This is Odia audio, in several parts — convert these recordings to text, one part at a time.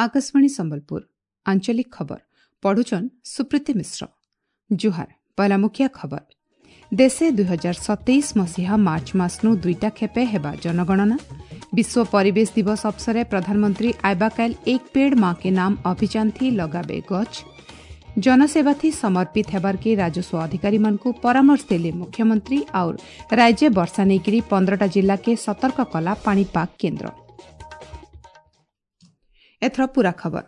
ଆକାଶବାଣୀ ସମ୍ବଲପୁର, ଆଞ୍ଚଳିକ ଖବର ପଢୁଛନ୍ ସୁପ୍ରୀତି ମିଶ୍ର। ଜୁହାର। ପହଲା ମୁଖିଆ ଖବର। ଦେଶେ 2027 ମସିହା ମାର୍ଚ୍ଚ ମାସନୁ ଦୁଇଟା ଖେପେ ହେବା ଜନଗଣନା। ବିଶ୍ୱ ପରିବେଶ ଦିବସ ଅବସରେ ପ୍ରଧାନମନ୍ତ୍ରୀ ଆଇବାକାଇଲ ଏକ ପେଡ଼ ମା କେ ନାମ ଅଭିଯାନ ଥି ଲଗାବେ ଗଛ। ଜନସେବା ଥି ସମର୍ପିତ ହେବାର୍କେ ରାଜସ୍ୱ ଅଧିକାରୀମାନଙ୍କୁ ପରାମର୍ଶ ଦେଲେ ମୁଖ୍ୟମନ୍ତ୍ରୀ। ଆଉ ରାଜ୍ୟ ବର୍ଷା ନେଇକରି 15ଟା ଜିଲ୍ଲାକେ ସତର୍କ କଲା ପାଣିପାଗ କେନ୍ଦ୍ର। ଏଥର ପୂରା ଖବର।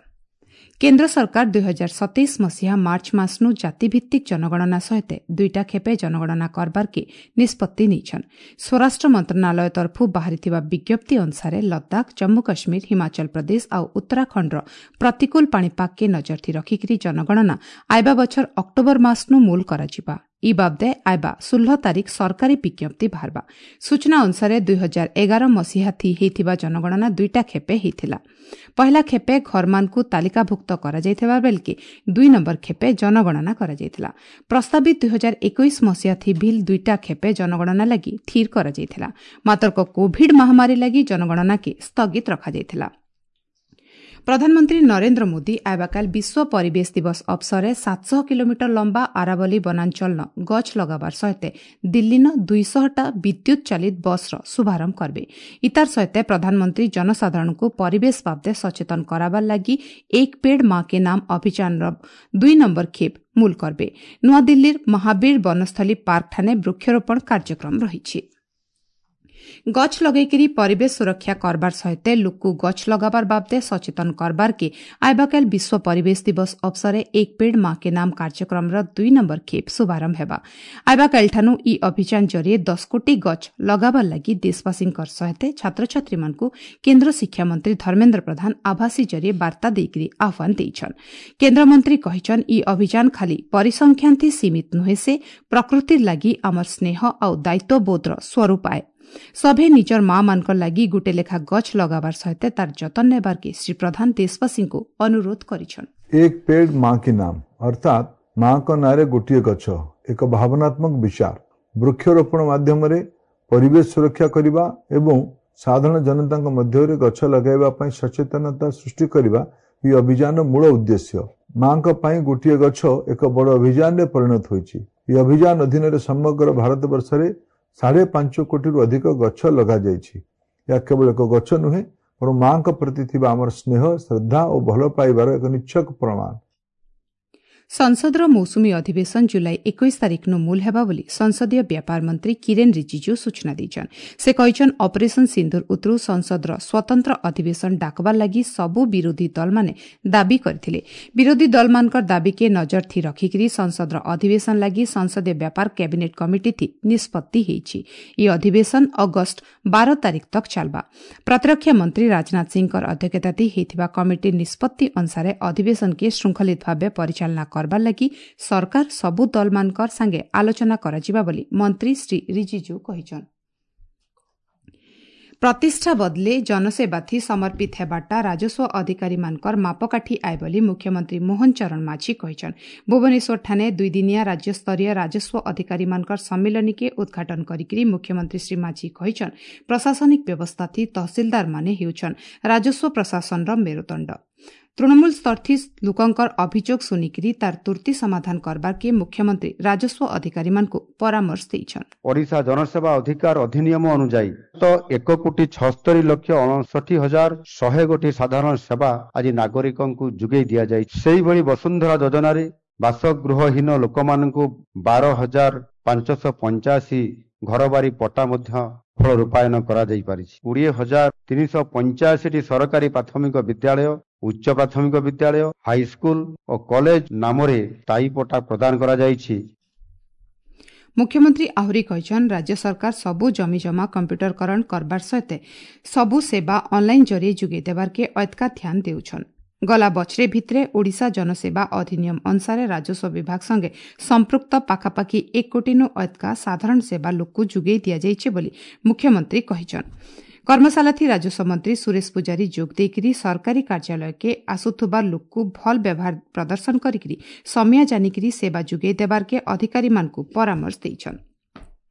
କେନ୍ଦ୍ର ସରକାର 2027 ମସିହା ମାର୍ଚ୍ଚ ମାସନୁ ଜାତିଭିତ୍ତିକ ଜନଗଣନା ସହିତ ଦୁଇଟା ଖେପେ ଜନଗଣନା କରବାର୍କେ ନିଷ୍ପତ୍ତି ନେଇଛନ୍। ସ୍ୱରାଷ୍ଟ୍ର ମନ୍ତ୍ରଣାଳୟ ତରଫୁ ବାହାରିଥିବା ବିଜ୍ଞପ୍ତି ଅନୁସାରେ ଲଦାଖ, ଜମ୍ମୁ କାଶ୍ମୀର, ହିମାଚଳ ପ୍ରଦେଶ ଆଉ ଉତ୍ତରାଖଣ୍ଡର ପ୍ରତିକୂଳ ପାଣିପାଗକେ ନଜରଥି ରଖିକିରି ଜନଗଣନା ଆଇବା ବଛର ଅକ୍ଟୋବର ମାସନୁ ମୂଲ କରାଯିବା। ଇ ବାବଦେ ଆଇବା 16 ତାରିଖ ସରକାରୀ ବିଜ୍ଞପ୍ତି ବାହାରବା। ସୂଚନା ଅନୁସାରେ 2011 ମସିହା ଥି ହେଇଥିବା ଜନଗଣନା ଦୁଇଟା ଖେପେ ହେଇଥିଲା। ପହିଲା ଖେପେ ଘରମାନଙ୍କୁ ତାଲିକାଭୁକ୍ତ କରାଯାଇଥିବା ବେଳକେ 2 ନମ୍ବର ଖେପେ ଜନଗଣନା କରାଯାଇଥିଲା। ପ୍ରସ୍ତାବିତ 2021 ମସିହା ଥି ଭିଲ୍ ଦୁଇଟା ଖେପେ ଜନଗଣନା ଲାଗି ଥିର କରାଯାଇଥିଲା। ମାତ୍ର କୋଭିଡ ମହାମାରୀ ଲାଗି ଜନଗଣନାକେ ସ୍ଥଗିତ ରଖାଯାଇଥିଲା। ପ୍ରଧାନମନ୍ତ୍ରୀ ନରେନ୍ଦ୍ର ମୋଦି ଆଇବାକାଲ ବିଶ୍ୱ ପରିବେଶ ଦିବସ ଅବସରରେ 700 କିଲୋମିଟର ଲମ୍ବା ଆରାବଲି ବନାଞ୍ଚଳନ ଗଛ ଲଗାବାର ସହିତ ଦିଲ୍ଲୀନ 200ଟା ବିଦ୍ୟୁତ୍ ଚାଲିତ ବସ୍ର ଶୁଭାରମ୍ଭ କରିବେ। ଇତାର ସହିତ ପ୍ରଧାନମନ୍ତ୍ରୀ ଜନସାଧାରଣଙ୍କୁ ପରିବେଶ ବାବଦେ ସଚେତନ କରାବାର ଲାଗି ଏକ ପେଡ଼ ମା କେ ନାମ ଅଭିଯାନର 2 ନମ୍ବର ଖେପ୍ ମୂଲ କରିବେ। ନୂଆଦିଲ୍ଲୀର ମହାବୀର ବନସ୍ଥଳୀ ପାର୍କଠାନେ ବୃକ୍ଷରୋପଣ କାର୍ଯ୍ୟକ୍ରମ ରହିଛି। ଗଛ ଲଗେଇକିରି ପରିବେଶ ସୁରକ୍ଷା କରବାର ସହିତ ଲୋକକୁ ଗଛ ଲଗାବାର ବାବଦେ ସଚେତନ କରବାରକେ ଆଇବାକାଲ ବିଶ୍ୱ ପରିବେଶ ଦିବସ ଅବସରେ ଏକ ପେଡ଼ ମା କେ ନାମ କାର୍ଯ୍ୟକ୍ରମର 2 ନମ୍ବର ଖେପ୍ ଶୁଭାରମ୍ଭ ହେବା। ଆଇବାକାଲିଠାନୁ ଇ ଅଭିଯାନ ଜରିଏ 10 କୋଟି ଗଛ ଲଗାବାର ଲାଗି ଦେଶବାସୀଙ୍କର ସହିତ ଛାତ୍ରଛାତ୍ରୀମାନଙ୍କୁ କେନ୍ଦ୍ର ଶିକ୍ଷାମନ୍ତ୍ରୀ ଧର୍ମେନ୍ଦ୍ର ପ୍ରଧାନ ଆଭାସୀ ଜରିଏ ବାର୍ତ୍ତା ଦେଇକରି ଆହ୍ୱାନ ଦେଇଛନ୍। କେନ୍ଦ୍ରମନ୍ତ୍ରୀ କହିଛନ୍, ଇ ଅଭିଯାନ ଖାଲି ପରିସଂଖ୍ୟାନ ଥି ସୀମିତ ନୁହେଁ, ସେ ପ୍ରକୃତିର ଲାଗି ଆମର ସ୍ନେହ ଆଉ ଦାୟିତ୍ୱବୋଧର ସ୍ୱରୂପ ଆଏ। ସଭେ ନିଜର ମା ମାନଙ୍କର ଲାଗି ଗୁଟେ ଲେଖା ଗଛ ଲଗାବାର ସହିତ ତାର ଯତ୍ନ ନେବାର୍କେ ଶ୍ରୀ ପ୍ରଧାନ ଦେଶବାସୀଙ୍କୁ ଅନୁରୋଧ କରିଛନ୍। ଏକ ପେଡ଼ ମା କି ନାମ, ଅର୍ଥାତ୍ ମାଙ୍କ ନାଁରେ ଗୋଟିଏ ଗଛ, ଏକ ଭାବନାତ୍ମକ ବିଚାର। ବୃକ୍ଷରୋପଣ ମାଧ୍ୟମରେ ପରିବେଶ ସୁରକ୍ଷା କରିବା ଏବଂ ସାଧାରଣ ଜନତାଙ୍କ ମଧ୍ୟରେ ଗଛ ଲଗାଇବା ପାଇଁ ସଚେତନତା ସୃଷ୍ଟି କରିବା ଏହି ଅଭିଯାନର ମୂଳ ଉଦ୍ଦେଶ୍ୟ। ମାଙ୍କ ପାଇଁ ଗୋଟିଏ ଗଛ ଏକ ବଡ଼ ଅଭିଯାନରେ ପରିଣତ ହୋଇଛି। ଏହି ଅଭିଯାନ ଅଧୀନରେ ସମଗ୍ର ଭାରତବର୍ଷରେ 5.5 କୋଟିରୁ ଅଧିକ ଗଛ ଲଗାଯାଇଛି। ଏହା କେବଳ ଏକ ଗଛ ନୁହେଁ, ବରଂ ମାଙ୍କ ପ୍ରତି ଥିବା ଆମର ସ୍ନେହ, ଶ୍ରଦ୍ଧା ଓ ଭଲ ପାଇବାର ଏକ ନିଚ୍ଛକ ପ୍ରମାଣ। ସଂସଦର ମୌସୁମୀ ଅଧିବେଶନ ଜୁଲାଇ 21 ତାରିଖନୁ ମୂଲ ହେବା ବୋଲି ସଂସଦୀୟ ବ୍ୟାପାର ମନ୍ତ୍ରୀ କିରେନ୍ ରିଜିଜୁ ସୂଚନା ଦେଇଛନ୍। ସେ କହିଛନ୍, ଅପରେସନ ସିନ୍ଦୁର ଉତରୁ ସଂସଦର ସ୍ୱତନ୍ତ୍ର ଅଧିବେଶନ ଡାକବାର ଲାଗି ସବୁ ବିରୋଧୀ ଦଳମାନେ ଦାବି କରିଥିଲେ। ବିରୋଧୀ ଦଳମାନଙ୍କର ଦାବିକେ ନଜର ଥି ରଖିକିରି ସଂସଦର ଅଧିବେଶନ ଲାଗି ସଂସଦୀୟ ବ୍ୟାପାର କ୍ୟାବିନେଟ୍ କମିଟି ଥି ନିଷ୍ପତ୍ତି ହେଇଛି। ଇ ଅଧିବେଶନ ଅଗଷ୍ଟ 12 ତାରିଖ ତକ୍ ଚାଲବା। ପ୍ରତିରକ୍ଷା ମନ୍ତ୍ରୀ ରାଜନାଥ ସିଂହଙ୍କର ଅଧ୍ୟକ୍ଷତା ଥି ହେଇଥିବା କମିଟି ନିଷ୍ପତ୍ତି ଅନୁସାରେ ଅଧିବେଶନକେ ଶୃଙ୍ଖଳିତ ଭାବେ ପରିଚାଳନା କରବାର ଲାଗି ସରକାର ସବୁ ଦଳମାନଙ୍କର ସାଙ୍ଗେ ଆଲୋଚନା କରାଯିବା ବୋଲି ମନ୍ତ୍ରୀ ଶ୍ରୀ ରିଜିଜୁ କହିଛନ୍। ପ୍ରତିଷ୍ଠା ବଦଲେ ଜନସେବାଥି ସମର୍ପିତ ହେବାଟା ରାଜସ୍ୱ ଅଧିକାରୀମାନଙ୍କର ମାପକାଠି ଆଏ ବୋଲି ମୁଖ୍ୟମନ୍ତ୍ରୀ ମୋହନ ଚରଣ ମାଝୀ କହିଛନ୍। ଭୁବନେଶ୍ୱରଠାନେ ଦୁଇଦିନିଆ ରାଜ୍ୟସ୍ତରୀୟ ରାଜସ୍ୱ ଅଧିକାରୀମାନଙ୍କର ସମ୍ମିଳନୀକେ ଉଦ୍ଘାଟନ କରିକିରି ମୁଖ୍ୟମନ୍ତ୍ରୀ ଶ୍ରୀ ମାଝୀ କହିଛନ୍, ପ୍ରଶାସନିକ ବ୍ୟବସ୍ଥାଥି ତହସିଲଦାରମାନେ ହେଉଛନ୍ ରାଜସ୍ୱ ପ୍ରଶାସନର ମେରୁଦଣ୍ଡ। ତୃଣମୂଳ ସ୍ତରଥି ଲୋକଙ୍କର ଅଭିଯୋଗ ଶୁଣିକିରି ତାର ତୁର୍ତି ସମାଧାନ କରବାର୍କେ ମୁଖ୍ୟମନ୍ତ୍ରୀ ରାଜସ୍ୱ ଅଧିକାରୀମାନଙ୍କୁ ପରାମର୍ଶ ଦେଇଛନ୍। ଓଡ଼ିଶା ଜନସେବା ଅଧିକାର ଅଧିନିୟମ ଅନୁଯାୟୀ ତ 1,76,59,100 ଗୋଟି ସାଧାରଣ ସେବା ଆଜି ନାଗରିକଙ୍କୁ ଯୋଗାଇ ଦିଆଯାଇଛି। ସେଇଭଳି ବସୁନ୍ଧରା ଯୋଜନାରେ ବାସଗୃହହୀନ ଲୋକମାନଙ୍କୁ 12,585 ଘରବାରି ପଟ୍ଟା ମଧ୍ୟ ଫଳ ରୂପାୟନ କରାଯାଇପାରିଛି। 20,385ଟି ସରକାରୀ ପ୍ରାଥମିକ ବିଦ୍ୟାଳୟ, ଉଚ୍ଚ ପ୍ରାଥମିକ ବିଦ୍ୟାଳୟ, ହାଇସ୍କୁଲ ଓ କଲେଜ ନାମରେ ସ୍ଥାୟୀ ପଟ୍ଟା ପ୍ରଦାନ କରାଯାଇଛି। ମୁଖ୍ୟମନ୍ତ୍ରୀ ଆହୁରି କହିଛନ୍, ରାଜ୍ୟ ସରକାର ସବୁ ଜମିଜମା କମ୍ପ୍ୟୁଟରକରଣ କରବାର ସହିତ ସବୁ ସେବା ଅନ୍ଲାଇନ୍ ଜରିଏ ଯୋଗାଇ ଦେବାର୍କେ ଅଏତକା ଧ୍ୟାନ ଦେଉଛନ୍। ଗଲା ବଛରେ ଭିତରେ ଓଡ଼ିଶା ଜନସେବା ଅଧିନିୟମ ଅନୁସାରେ ରାଜସ୍ୱ ବିଭାଗ ସଙ୍ଗେ ସମ୍ପୃକ୍ତ ପାଖାପାଖି 1 କୋଟିନୁ ଅଏତକା ସାଧାରଣ ସେବା ଲୋକକୁ ଯୋଗାଇ ଦିଆଯାଇଛି ବୋଲି ମୁଖ୍ୟମନ୍ତ୍ରୀ କହିଛନ୍। କର୍ମଶାଳାଥି ରାଜସ୍ୱ ମନ୍ତ୍ରୀ ସୁରେଶ ପୂଜାରୀ ଯୋଗ ଦେଇକରି ସରକାରୀ କାର୍ଯ୍ୟାଳୟକେ ଆସୁଥିବା ଲୋକକୁ ଭଲ ବ୍ୟବହାର ପ୍ରଦର୍ଶନ କରିକିରି ସମିଆ ଜାନିକିରି ସେବା ଯୋଗାଇ ଦେବାର୍କେ ଅଧିକାରୀମାନଙ୍କୁ ପରାମର୍ଶ ଦେଇଛନ୍।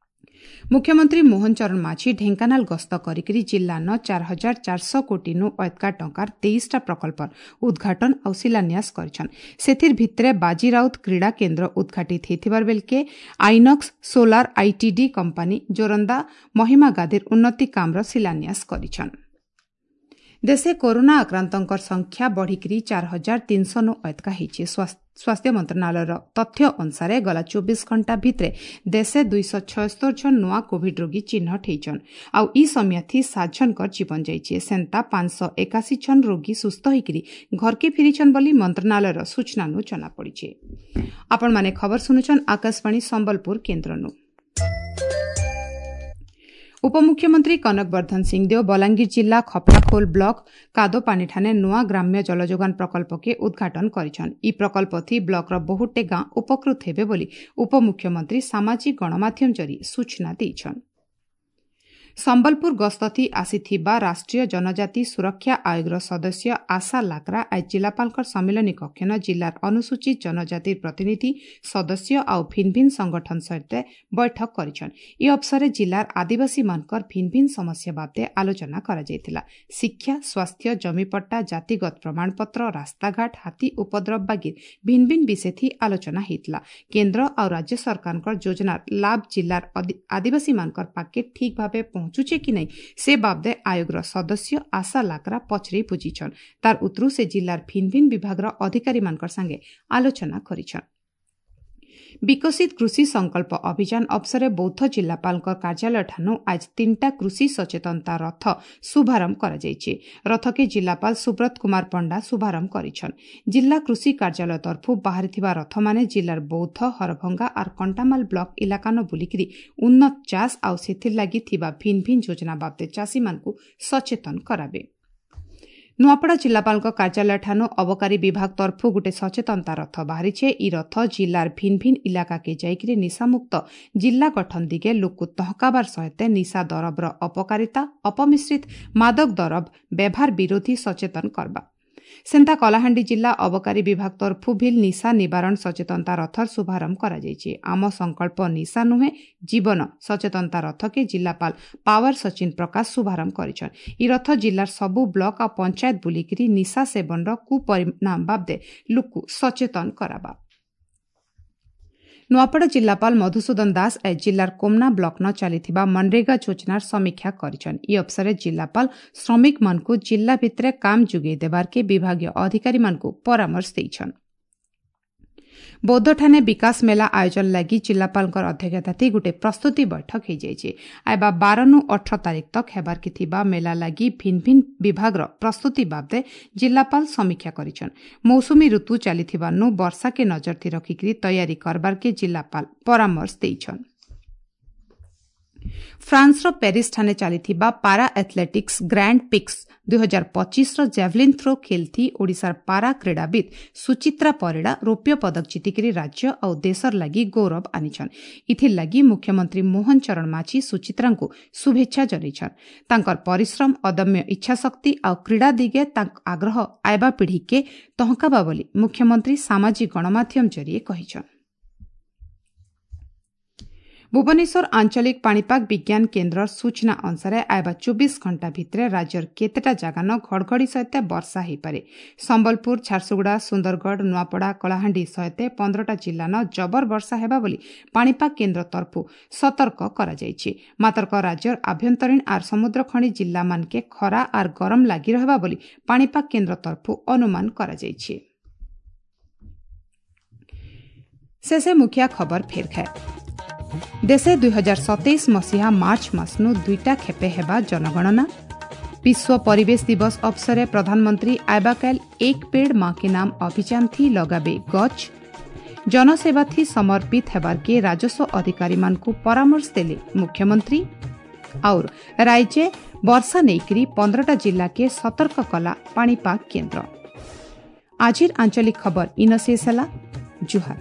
ମୁଖ୍ୟମନ୍ତ୍ରୀ ମୋହନ ଚରଣ ମାଝୀ ଢେଙ୍କାନାଳ ଗସ୍ତ କରିକି ଜିଲ୍ଲାନ 4400 କୋଟିନୁ ଅଏତକା ଟଙ୍କାର 23ଟା ପ୍ରକଳ୍ପର ଉଦ୍ଘାଟନ ଆଉ ଶିଳାନ୍ୟାସ କରିଛନ୍। ସେଥିର୍ ଭିତରେ ବାଜିରାଉତ କ୍ରୀଡ଼ା କେନ୍ଦ୍ର ଉଦ୍ଘାଟିତ ହେଇଥିବାର ବେଲକେ ଆଇନକ୍ସ ସୋଲାର ଆଇଟିଡି କମ୍ପାନୀ ଜୋରନ୍ଦା ମହିମା ଗାଦିର ଉନ୍ନତି କାମର ଶିଳାନ୍ୟାସ କରିଛନ୍। ଦେଶେ କରୋନା ଆକ୍ରାନ୍ତଙ୍କର ସଂଖ୍ୟା ବଢ଼ିକିରି 4300 ନୁ ଅଏତକା ହେଇଛି। ସ୍ୱାସ୍ଥ୍ୟ ମନ୍ତ୍ରଣାଳୟର ତଥ୍ୟ ଅନୁସାରେ ଗଲା 24 ଘଣ୍ଟା ଭିତରେ ଦେଶେ 276 ଜଣ ନୂଆ କୋଭିଡ୍ ରୋଗୀ ଚିହ୍ନଟ ହେଇଛନ୍ ଆଉ ଇ ସମିୟାଥି 7 ଜଣଙ୍କର ଜୀବନ ଯାଇଛି। ସେନ୍ତା 581 ଜଣ ରୋଗୀ ସୁସ୍ଥ ହେଇକିରି ଘରକେ ଫିରିଛନ୍ ବୋଲି ମନ୍ତ୍ରଣାଳୟର ସୂଚନାନୁ ଜଣାପଡ଼ିଛି। ଆପଣମାନେ ଖବର ଶୁଣୁଛନ୍ ଆକାଶବାଣୀ ସମ୍ବଲପୁର କେନ୍ଦ୍ରନୁ। ଉପମୁଖ୍ୟମନ୍ତ୍ରୀ କନକ ବର୍ଦ୍ଧନ ସିଂଦେଓ ବଲାଙ୍ଗୀର ଜିଲ୍ଲା ଖପ୍ରାଖୋଲ ବ୍ଲକ କାଦୋପାନିଠାନେ ନୂଆ ଗ୍ରାମ୍ୟ ଜଳଯୋଗାଣ ପ୍ରକଳ୍ପକେ ଉଦ୍ଘାଟନ କରିଛନ୍। ଇ ପ୍ରକଳ୍ପଥି ବ୍ଲକର ବହୁତଟେ ଗାଁ ଉପକୃତ ହେବେ ବୋଲି ଉପମୁଖ୍ୟମନ୍ତ୍ରୀ ସାମାଜିକ ଗଣମାଧ୍ୟମ ଜରି ସୂଚନା ଦେଇଛନ୍। ସମ୍ବଲପୁର ଗସ୍ତଥି ଆସିଥିବା ରାଷ୍ଟ୍ରୀୟ ଜନଜାତି ସୁରକ୍ଷା ଆୟୋଗର ସଦସ୍ୟ ଆଶା ଲାକ୍ରା ଆଜି ଜିଲ୍ଲାପାଳଙ୍କ ସମ୍ମିଳନୀ କକ୍ଷନ ଜିଲ୍ଲାର ଅନୁସୂଚିତ ଜନଜାତି ପ୍ରତିନିଧି ସଦସ୍ୟ ଆଉ ଭିନ୍ ଭିନ୍ ସଂଗଠନ ସହିତ ବୈଠକ କରିଛନ୍। ଏ ଅବସରରେ ଜିଲ୍ଲାର ଆଦିବାସୀମାନଙ୍କର ଭିନ୍ ଭିନ୍ ସମସ୍ୟା ବାବଦେ ଆଲୋଚନା କରାଯାଇଥିଲା। ଶିକ୍ଷା, ସ୍ୱାସ୍ଥ୍ୟ, ଜମିପଟ୍ଟା, ଜାତିଗତ ପ୍ରମାଣପତ୍ର, ରାସ୍ତାଘାଟ, ହାତୀ ଉପଦ୍ରବ ବାଗିର ଭିନ୍ ଭିନ୍ ବିଷୟଥି ଆଲୋଚନା ହେଇଥିଲା। କେନ୍ଦ୍ର ଆଉ ରାଜ୍ୟ ସରକାରଙ୍କର ଯୋଜନାର ଲାଭ ଜିଲ୍ଲାର ଆଦିବାସୀମାନଙ୍କର ପାଖେ ଠିକ୍ ଭାବେ ପହଞ୍ଚୁଛେ କି ନାହିଁ ସେ ବାବଦେ ଆୟୋଗର ସଦସ୍ୟ ଆଶା ଲାକ୍ରା ପଚରେଇ ବୁଝିଛନ୍। ତାର ଉତ୍ତରୁ ସେ ଜିଲ୍ଲାର ଭିନ୍ ଭିନ୍ ବିଭାଗର ଅଧିକାରୀମାନଙ୍କର ସାଙ୍ଗେ ଆଲୋଚନା କରିଛନ୍। ବିକଶିତ କୃଷି ସଂକଳ୍ପ ଅଭିଯାନ ଅବସରରେ ବୌଦ୍ଧ ଜିଲ୍ଲାପାଳଙ୍କ କାର୍ଯ୍ୟାଳୟଠାନୁ ଆଜି 3ଟା କୃଷି ସଚେତନତା ରଥ ଶୁଭାରମ୍ଭ କରାଯାଇଛି। ରଥକେ ଜିଲ୍ଲାପାଳ ସୁବ୍ରତ କୁମାର ପଣ୍ଡା ଶୁଭାରମ୍ଭ କରିଛନ୍। ଜିଲ୍ଲା କୃଷି କାର୍ଯ୍ୟାଳୟ ତରଫରୁ ବାହାରିଥିବା ରଥମାନେ ଜିଲ୍ଲାର ବୌଦ୍ଧ, ହରଭଙ୍ଗା ଆର୍ କଣ୍ଟାମାଲ ବ୍ଲକ ଇଲାକାନ ବୁଲିକିରି ଉନ୍ନତ ଚାଷ ଆଉ ସେଥିର୍ଲାଗି ଥିବା ଭିନ୍ ଭିନ୍ ଯୋଜନା ବାବଦେ ଚାଷୀମାନଙ୍କୁ ସଚେତନ କରାବେ। ନୂଆପଡ଼ା ଜିଲ୍ଲାପାଳଙ୍କ କାର୍ଯ୍ୟାଳୟଠାନୁ ଅବକାରୀ ବିଭାଗ ତରଫରୁ ଗୋଟେ ସଚେତନତା ରଥ ବାହାରିଛେ। ଇ ରଥ ଜିଲ୍ଲାର ଭିନ୍ ଭିନ୍ ଇଲାକାକେ ଯାଇକିରି ନିଶାମୁକ୍ତ ଜିଲ୍ଲା ଗଠନ ଦିଗେ ଲୋକକୁ ତହକାବାର ସହିତ ନିଶା ଦରବର ଅପକାରିତା, ଅପମିଶ୍ରିତ ମାଦକ ଦରବ ବ୍ୟବହାର ବିରୋଧୀ ସଚେତନ କରବା। ସେନ୍ତା କଳାହାଣ୍ଡି ଜିଲ୍ଲା ଅବକାରୀ ବିଭାଗ ତରଫରୁ ଭିଲ୍ ନିଶା ନିବାରଣ ସଚେତନତା ରଥର ଶୁଭାରମ୍ଭ କରାଯାଇଛି। ଆମ ସଂକଳ୍ପ ନିଶା ନୁହେଁ ଜୀବନ ସଚେତନତା ରଥକେ ଜିଲ୍ଲାପାଳ ପାୱାର ସଚିନ ପ୍ରକାଶ ଶୁଭାରମ୍ଭ କରିଛନ୍। ଇ ରଥ ଜିଲ୍ଲାର ସବୁ ବ୍ଲକ ଆଉ ପଞ୍ଚାୟତ ବୁଲିକିରି ନିଶା ସେବନର କୁପରିଣାମ ବାବଦେ ଲୋକକୁ ସଚେତନ କରାବା। ନୂଆପଡ଼ା ଜିଲ୍ଲାପାଳ ମଧୁସୂଦନ ଦାସ ଆଜି ଜିଲ୍ଲାର କୋମନା ବ୍ଲକନ ଚାଲିଥିବା ମନରେଗା ଯୋଜନାର ସମୀକ୍ଷା କରିଛନ୍। ଇ ଅବସରରେ ଜିଲ୍ଲାପାଳ ଶ୍ରମିକମାନଙ୍କୁ ଜିଲ୍ଲା ଭିତରେ କାମ ଯୋଗାଇ ଦେବାର୍କେ ବିଭାଗୀୟ ଅଧିକାରୀମାନଙ୍କୁ ପରାମର୍ଶ ଦେଇଛନ୍। ବୌଦ୍ଧଠାନେ ବିକାଶ ମେଳା ଆୟୋଜନ ଲାଗି ଜିଲ୍ଲାପାଳଙ୍କର ଅଧ୍ୟକ୍ଷତାଥି ଗୋଟେ ପ୍ରସ୍ତୁତି ବୈଠକ ହେଇଯାଇଛି। ଆଇବା 12ନୁ 18 ତାରିଖ ତକ୍ ହେବାର୍କେ ଥିବା ମେଳା ଲାଗି ଭିନ୍ ଭିନ୍ ବିଭାଗର ପ୍ରସ୍ତୁତି ବାବଦେ ଜିଲ୍ଲାପାଳ ସମୀକ୍ଷା କରିଛନ୍। ମୌସୁମୀ ଋତୁ ଚାଲିଥିବାନୁ ବର୍ଷାକେ ନଜରଥି ରଖିକିରି ତୟାରୀ କରବାର୍କେ ଜିଲ୍ଲାପାଳ ପରାମର୍ଶ ଦେଇଛନ୍। ଫ୍ରାନ୍ସର ପ୍ୟାରିସଠାନେ ଚାଲିଥିବା ପାରା ଆଥଲେଟିକ୍ସ ଗ୍ରାଣ୍ଡ ପିକ୍ସ 2025ର ଜାଭଲିନ୍ ଥ୍ରୋ ଖେଲ୍ଥି ଓଡ଼ିଶାର ପାରା କ୍ରୀଡ଼ାବିତ୍ ସୁଚିତ୍ରା ପରିଡ଼ା ରୌପ୍ୟ ପଦକ ଜିତିକିରି ରାଜ୍ୟ ଆଉ ଦେଶର ଲାଗି ଗୌରବ ଆନିଛନ୍। ଇଥିର୍ ଲାଗି ମୁଖ୍ୟମନ୍ତ୍ରୀ ମୋହନ ଚରଣ ମାଝୀ ସୁଚିତ୍ରାଙ୍କୁ ଶୁଭେଚ୍ଛା ଜଣାଇଛନ୍। ତାଙ୍କର ପରିଶ୍ରମ, ଅଦମ୍ୟ ଇଚ୍ଛାଶକ୍ତି ଆଉ କ୍ରୀଡ଼ା ଦିଗେ ତାଙ୍କ ଆଗ୍ରହ ଆଇବା ପିଢ଼ିକେ ତହକାବା ବୋଲି ମୁଖ୍ୟମନ୍ତ୍ରୀ ସାମାଜିକ ଗଣମାଧ୍ୟମ ଜରିଏ କହିଛନ୍। ଭୁବନେଶ୍ୱର ଆଞ୍ଚଳିକ ପାଣିପାଗ ବିଜ୍ଞାନ କେନ୍ଦ୍ରର ସୂଚନା ଅନୁସାରେ ଆଇବା 24 ଘଣ୍ଟା ଭିତରେ ରାଜ୍ୟର କେତେଟା ଜାଗାନ ଘଡ଼ଘଡ଼ି ସହିତ ବର୍ଷା ହୋଇପାରେ। ସମ୍ବଲପୁର, ଝାରସୁଗୁଡ଼ା, ସୁନ୍ଦରଗଡ଼, ନୂଆପଡ଼ା, କଳାହାଣ୍ଡି ସହିତ 15ଟା ଜିଲ୍ଲାନ ଜବର ବର୍ଷା ହେବା ବୋଲି ପାଣିପାଗ କେନ୍ଦ୍ର ତରଫରୁ ସତର୍କ କରାଯାଇଛି। ମାତର୍କ ରାଜ୍ୟର ଆଭ୍ୟନ୍ତରୀଣ ଆର୍ ସମୁଦ୍ରଖଣି ଜିଲ୍ଲାମାନକେ ଖରା ଆର୍ ଗରମ ଲାଗି ରହିବା ବୋଲି ପାଣିପାଗ କେନ୍ଦ୍ର ତରଫରୁ ଅନୁମାନ କରାଯାଇଛି। ଶେଷେ ମୁଖିଆ ଖବର ଫେର ଖାଏ। ଦେଶେ 2027 ମସିହା ମାର୍ଚ୍ଚ ମାସନୁ 2ଟା ଖେପେ ହେବା ଜନଗଣନା। ବିଶ୍ୱ ପରିବେଶ ଦିବସ ଅବସରେ ପ୍ରଧାନମନ୍ତ୍ରୀ ଆଇବାକାଲ ଏକ ପେଡ଼ ମା के नाम ଅଭିଯାନ ଥି ଲଗାବେ ଗଛ। ଜନସେବା ଥି ସମର୍ପିତ ହେବାର୍କେ ରାଜସ୍ୱ ଅଧିକାରୀମାନଙ୍କୁ ପରାମର୍ଶ ଦେଲେ ମୁଖ୍ୟମନ୍ତ୍ରୀ। और ରାଜ୍ୟ ବର୍ଷା ନେଇକରି 15ଟା ଜିଲ୍ଲାକେ ସତର୍କ କଲା ପାଣିପାଗ କେନ୍ଦ୍ର। ଆଜିର ଆଞ୍ଚଳିକ ଖବର ଇନ ଶେଷ ହେଲା। ଜୁହାର।